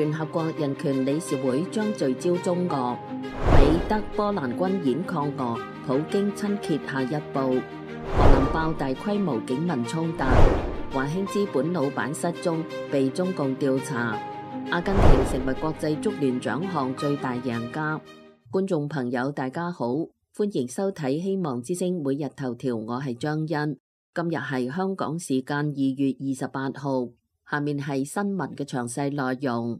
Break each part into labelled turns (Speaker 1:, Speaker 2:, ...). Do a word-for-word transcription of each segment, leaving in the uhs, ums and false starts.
Speaker 1: 聯合國人權理事會將聚焦中俄，美德波蘭軍演抗俄，普京親揭下一步。荷蘭爆大規模警民衝突，華興資本老闆失蹤，被中共調查。阿根廷成為國際足聯獎項最大贏家。觀眾朋友大家好，歡迎收睇希望之聲每日頭條，我係張欣。今日係香港時間二月二十八號，下面係新聞嘅詳細內容。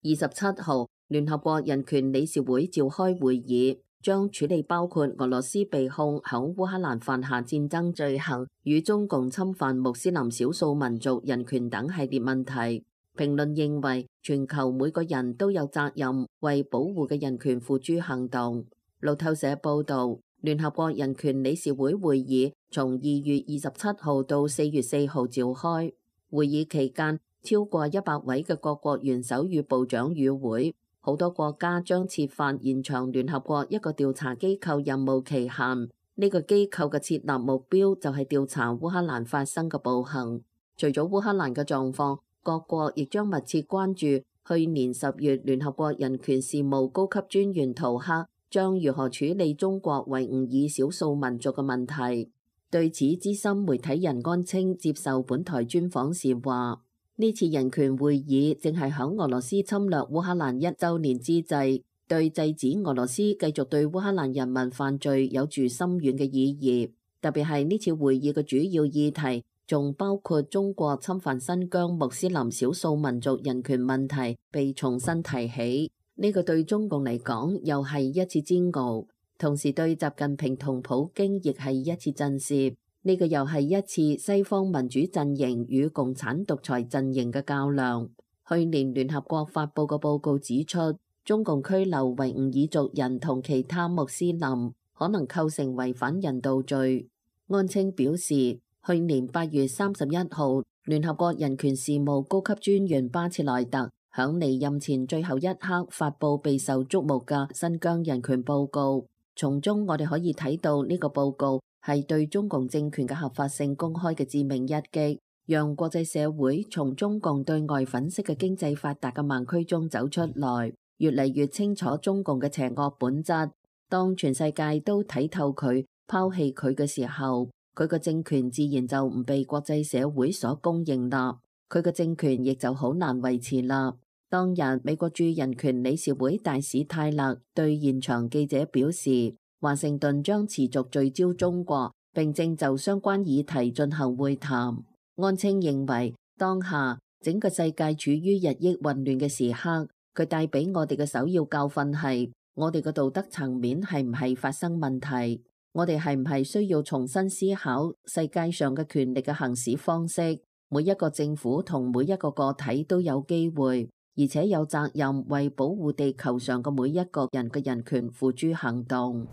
Speaker 1: 二十七號，聯合國人權理事會召開會議，將處理包括俄羅斯被控響烏克蘭犯下戰爭罪行與中共侵犯穆斯林少數民族人權等系列問題。評論認為，全球每個人都有責任為保護嘅人權付諸行動。路透社報道，聯合國人權理事會會議從二月二十七號到四月四號召開。會議期間，超過一百位嘅各國元首與部長與會，好多國家將設法延長聯合國一個調查機構任務期限。呢個機構嘅設立目標就係調查烏克蘭發生嘅暴行。除咗烏克蘭嘅狀況，各國亦將密切關注去年十月聯合國人權事務高級專員圖克將如何處理中國維吾爾少數民族嘅問題。對此，資深媒體人安清接受本台專訪時話：呢次人權會議正係響俄羅斯侵略烏克蘭一週年之際，對制止俄羅斯繼續對烏克蘭人民犯罪有住深遠嘅意義。特別係呢次會議嘅主要議題，仲包括中國侵犯新疆穆斯林少數民族人權問題被重新提起。呢個對中共嚟講又係一次煎熬。同時對習近平同普京亦係一次震懾，呢個又係一次西方民主陣營與共產獨裁陣營嘅較量。去年聯合國發布嘅報告指出，中共拘留維吾爾族人同其他穆斯林可能構成違反人道罪。安清表示，去年八月三十一號，聯合國人權事務高級專員巴切萊特響離任前最後一刻發布備受矚目嘅新疆人權報告。從中我哋可以睇到呢個報告係對中共政權嘅合法性公開嘅致命一擊，讓國際社會從中共對外粉飾嘅經濟發達嘅盲區中走出來，越嚟越清楚中共嘅邪惡本質。當全世界都睇透佢、拋棄佢嘅時候，佢個政權自然就唔被國際社會所公認啦，佢嘅政權亦就好難維持啦。當日，美國駐人權理事會大使泰勒對現場記者表示，華盛頓將持續聚焦中國，並正就相關議題進行會談。安清認為，當下整個世界處於日益混亂嘅時刻，佢帶俾我哋嘅首要教訓係，我哋嘅道德層面係唔係發生問題？我哋係唔係需要重新思考世界上嘅權力嘅行使方式？每一個政府同每一個個體都有機會，而且有責任為保護地球上嘅每一個人嘅人權付諸行動。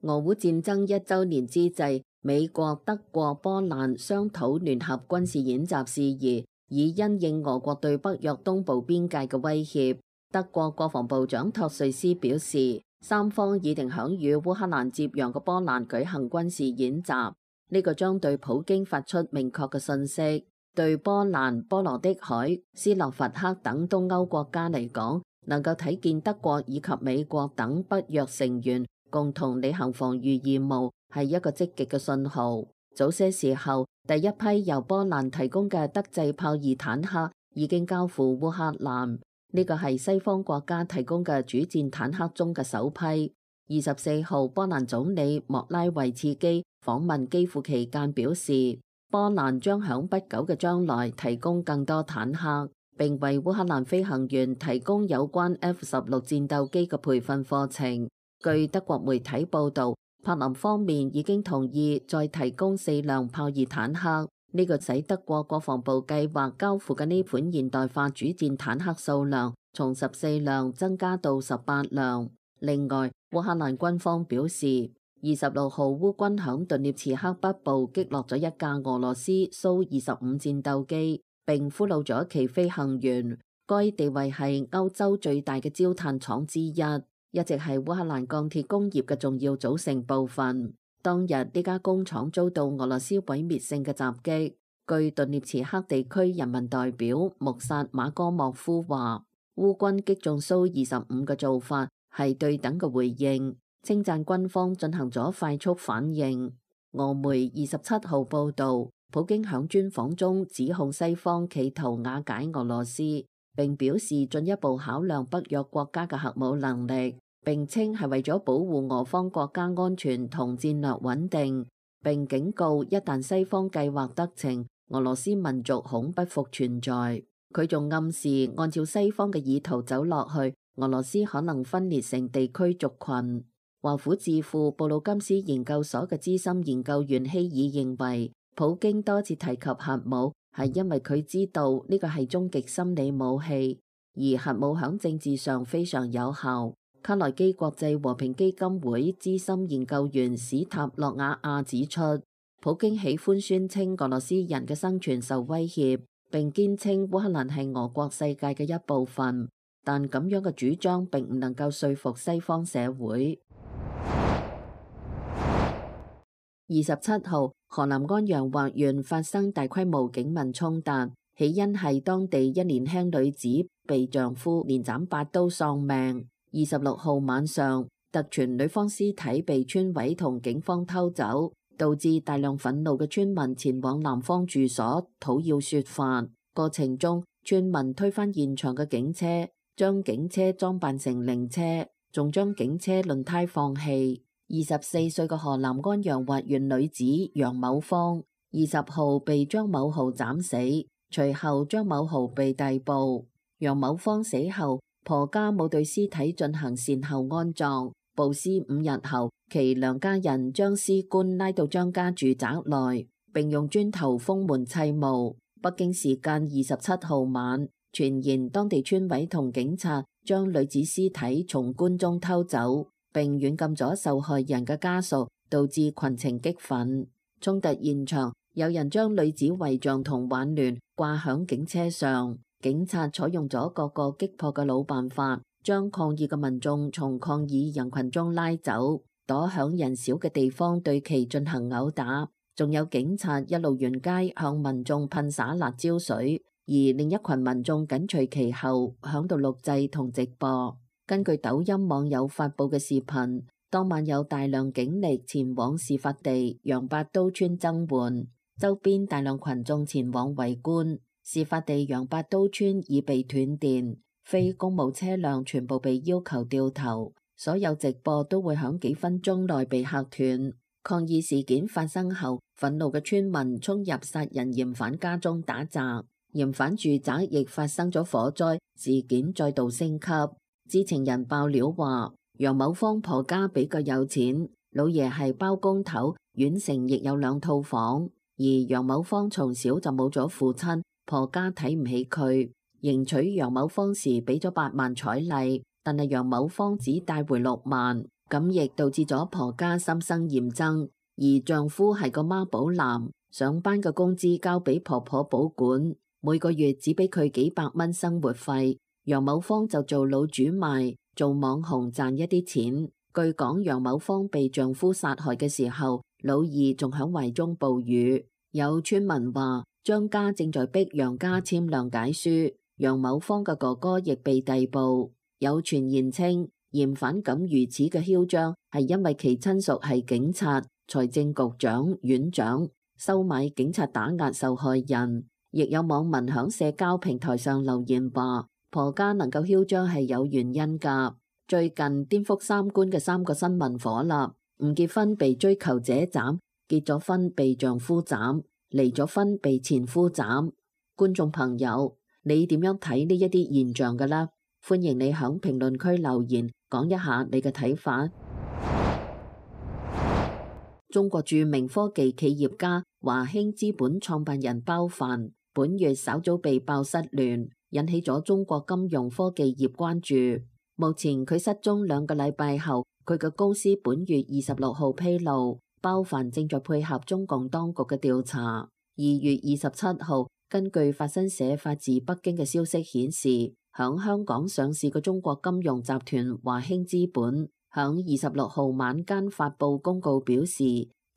Speaker 1: 俄烏戰爭一週年之際，美國、德國、波蘭商討聯合軍事演習事宜，以因應俄國對北約東部邊界嘅威脅。德國國防部長托瑞斯表示，三方議定響與烏克蘭接壤嘅波蘭舉行軍事演習，呢個將對普京發出明確嘅信息。對波蘭、波羅的海、斯洛伐克等東歐國家嚟講，能夠睇見德國以及美國等北約成員共同履行防禦義務，係一個積極嘅信號。早些時候，第一批由波蘭提供嘅德製豹二坦克已經交付烏克蘭，呢個係西方國家提供嘅主戰坦克中嘅首批。二十四號，波蘭總理莫拉維茨基訪問基輔期間表示，波蘭將響不久嘅將來提供更多坦克，並為烏克蘭飛行員提供有關 F 十六戰鬥機嘅培訓課程。據德國媒體報道，柏林方面已經同意再提供四輛豹二坦克，呢個使德國國防部計劃交付嘅呢款現代化主戰坦克數量從十四輛增加到十八輛。另外，烏克蘭軍方表示，二十六號烏軍響頓涅茨克北部擊落咗一架俄羅斯蘇二十五戰鬥機，並俘虜咗其飛行員。該地位係歐洲最大嘅焦炭廠之一，一直係烏克蘭鋼鐵工業嘅重要組成部分。當日呢家工廠遭到俄羅斯毀滅性嘅襲擊。據頓涅茨克地區人民代表穆薩馬戈莫夫話，烏軍擊中蘇二十五嘅做法係對等嘅回應，稱讚軍方進行咗快速反應。俄媒二十七號報導，普京響專訪中指控西方企圖瓦解俄羅斯，並表示進一步考量北約國家嘅核武能力，並稱係為咗保護俄方國家安全同戰略穩定，並警告一旦西方計劃得逞，俄羅斯民族恐不復存在。佢仲暗示按照西方嘅意圖走落去，俄羅斯可能分裂成地區族群。華府智庫布魯金斯研究所嘅資深研究員希爾認為，普京多次提及核武係因為佢知道呢個係終極心理武器，而核武響政治上非常有效。卡內基國際和平基金會資深研究員史塔洛瓦亞指出，普京喜歡宣稱俄羅斯人嘅生存受威脅，並堅稱烏克蘭係俄國世界嘅一部分，但咁樣嘅主張並唔能夠說服西方社會。二十七號，河南安陽華縣發生大規模警民衝突，起因係當地一年輕女子被丈夫連斬八刀喪命。二十六號晚上，特傳女方屍體被村委同警方偷走，導致大量憤怒嘅村民前往男方住所討要說法。過程中，村民推翻現場嘅警車，將警車裝扮成靈車，仲將警車輪胎放棄。二十四歲嘅河南安陽華縣女子楊某芳，二十號被張某豪斬死，隨後張某豪被逮捕。楊某芳死後，婆家冇對屍體進行善後安葬，暴屍五日後，其娘家人將屍棺拉到張家住宅內，並用磚頭封門砌墓。北京時間二十七號晚，傳言當地村委同警察將女子屍體從棺中偷走，並軟禁咗受害人嘅家屬，導致群情激憤。衝突現場，有人將女子遺像同挽聯掛響警車上，警察採用咗各個擊破嘅老辦法，將抗議嘅民眾從抗議人群中拉走，躲響人少嘅地方對其進行毆打。仲有警察一路沿街向民眾噴灑辣椒水，而另一群民眾緊隨其後響度錄製同直播。根據抖音網友發布嘅視頻，當晚有大量警力前往事發地楊八刀村增援，周邊大量群眾前往圍觀。事發地楊八刀村已被斷電，非公務車輛全部被要求掉頭，所有直播都會響幾分鐘內被嚇斷。抗議事件發生後，憤怒嘅村民衝入殺人嫌犯家中打砸，嫌犯住宅亦發生咗火災，事件再度升級。知情人爆料話，楊某芳婆家比較有錢，老爺係包工頭，縣城亦有兩套房，而楊某芳從小就冇咗父親，婆家睇唔起佢，迎娶楊某芳時俾咗八萬彩禮，但係楊某芳只帶回六萬，咁亦導致咗婆家心生嫌憎。而丈夫係個媽寶男，上班嘅工資交俾婆婆保管，每個月只俾佢幾百蚊生活費。楊某芳就做老主賣，做網紅賺一啲錢。據講，楊某芳被丈夫殺害嘅時候，老二仲響懷中哺乳。有村民話，張家正在逼楊家簽諒解書，楊某芳嘅哥哥亦被逮捕。有傳言稱，嫌犯敢如此嘅囂張，係因為其親屬係警察、財政局長、院長，收買警察打壓受害人。亦有網民響社交平台上留言話，婆家能夠囂張係有原因噶。最近顛覆三觀嘅三個新聞火啦，唔結婚被追求者斬，結咗婚被丈夫斬，離咗婚被前夫斬。觀眾朋友，你點樣睇呢一啲現象噶啦？歡迎你響評論區留言講一下你嘅睇法。中國著名科技企業家華興資本創辦人包凡本月稍早被爆失聯，引起咗中國金融科技業關注。目前佢失蹤兩個禮拜後，佢嘅公司本月二十六號披露，包凡正在配合中共當局嘅調查。二月二十七號，根據法新社發自北京嘅消息顯示，響香港上市嘅中國金融集團華興資本，響二十六號晚間發布公告表示，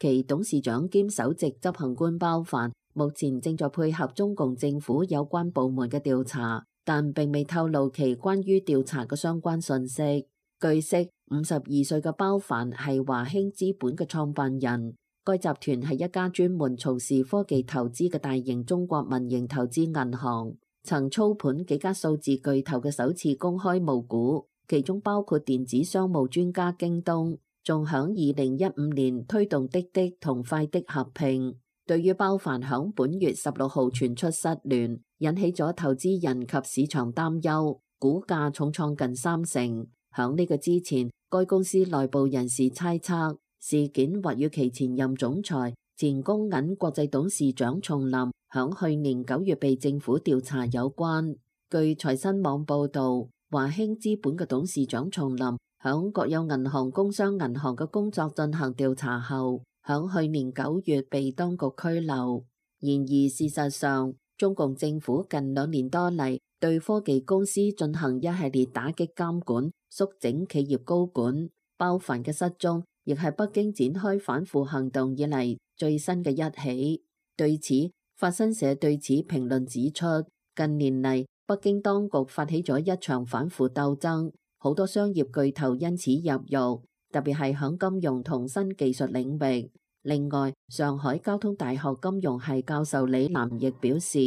Speaker 1: 其董事長兼首席執行官包凡目前正在配合中共政府有關部門嘅調查，但並未透露其關於調查嘅相關信息。據悉，五十二歲嘅包凡係華興資本嘅創辦人，該集團係一家專門從事科技投資嘅大型中國民營投資銀行，曾操盤幾家數字巨頭嘅首次公開募股，其中包括電子商務專家京東，仲響二零一五年推動滴滴同快的合併。對於包凡響本月十六號傳出失聯，引起咗投資人及市場擔憂，股價重創近三成。響呢個之前，該公司內部人士猜測事件或與其前任總裁、前工銀國際董事長叢林響去年九月被政府調查有關。據財新網報道，華興資本嘅董事長叢林響國有銀行工商銀行嘅工作進行調查後，響去年九月被當局拘留。然而事實上，中共政府近兩年多嚟對科技公司進行一系列打擊監管，縮整企業高管。包凡嘅失蹤亦係北京展開反腐行動以嚟最新嘅一起。對此，法新社對此評論指出，近年嚟北京當局發起咗一場反腐鬥爭，好多商業巨頭因此入獄，特別係響金融同新技術領域。另外，上海交通大學金融系教授李南亦表示，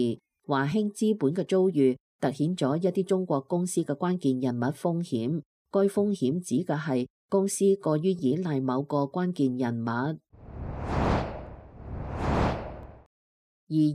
Speaker 1: 華興資本嘅遭遇凸顯咗一啲中國公司嘅關鍵人物風險。該風險指嘅係公司過於依賴某個關鍵人物。二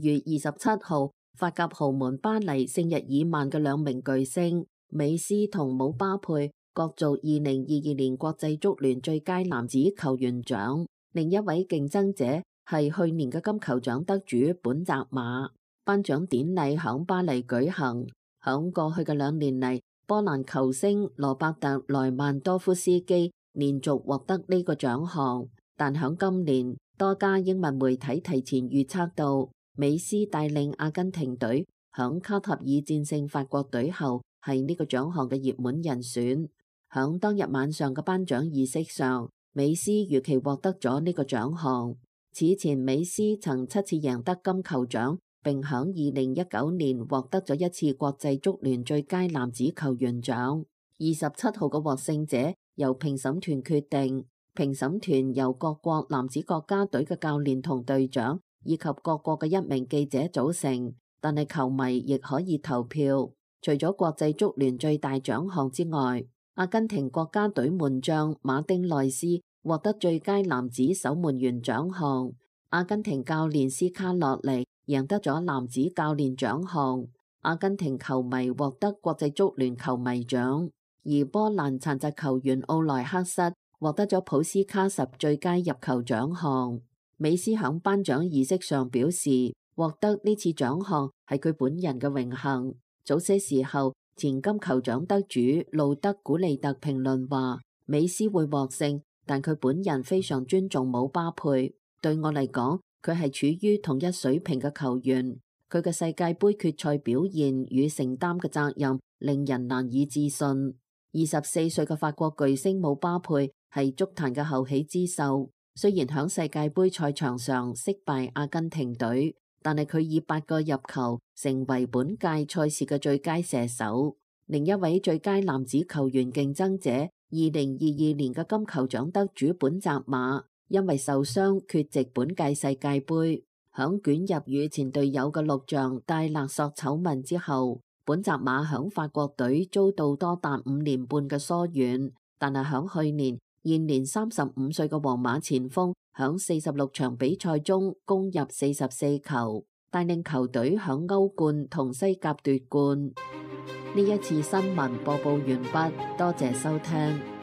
Speaker 1: 月二十七號，法甲豪門巴黎聖日耳曼嘅兩名巨星美斯同姆巴佩角逐二零二二年國際足聯最佳男子球員獎。另一位競爭者係去年嘅金球獎得主本澤馬。頒獎典禮響巴黎舉行。響過去嘅兩年嚟，波蘭球星羅伯特萊曼多夫斯基連續獲得呢個獎項，但響今年，多家英文媒體提前預測到美斯帶領阿根廷隊響卡塔爾戰勝法國隊後，係呢個獎項嘅熱門人選。響當日晚上嘅頒獎儀式上，美斯如期獲得咗呢個獎項。此前美斯曾七次贏得金球獎，並響二零一九年獲得咗一次國際足聯最佳男子球員獎。二十七號嘅獲勝者由評審團決定，評審團由各國男子國家隊嘅教練同隊長以及各國嘅一名記者組成，但係球迷亦可以投票。除咗國際足聯最大獎項之外，阿根廷國家隊門將馬丁內斯獲得最佳男子守門員獎項，阿根廷教練斯卡洛尼贏得咗男子教練獎項，阿根廷球迷獲得國際足聯球迷獎，而波蘭殘疾球員奧萊克塞獲得咗普斯卡什最佳入球獎項。美斯響頒獎儀式上表示，獲得呢次獎項係佢本人嘅榮幸。早些時候，前金球獎得主路德古利特評論話，美斯會獲勝，但佢本人非常尊重姆巴佩。對我嚟講，佢係處於同一水平嘅球員。佢嘅世界盃決賽表現與承擔嘅責任令人難以置信。二十四歲嘅法國巨星姆巴佩係足壇嘅後起之秀，雖然響世界盃賽場上惜敗阿根廷隊，但係佢以八個入球成為本屆賽事嘅最佳射手。另一位最佳男子球員競爭者，二零二二年嘅金球獎得主本澤馬，因為受傷缺席本屆世界盃。響捲入與前隊友嘅錄像帶勒索醜聞之後，本澤馬響法國隊遭到多達五年半嘅疏遠，但係響去年，現年三十五歲嘅皇馬前鋒響四十六場比賽中攻入四十四球，帶領球隊響歐冠同西甲奪冠。呢一次新聞播報完畢，多謝收聽。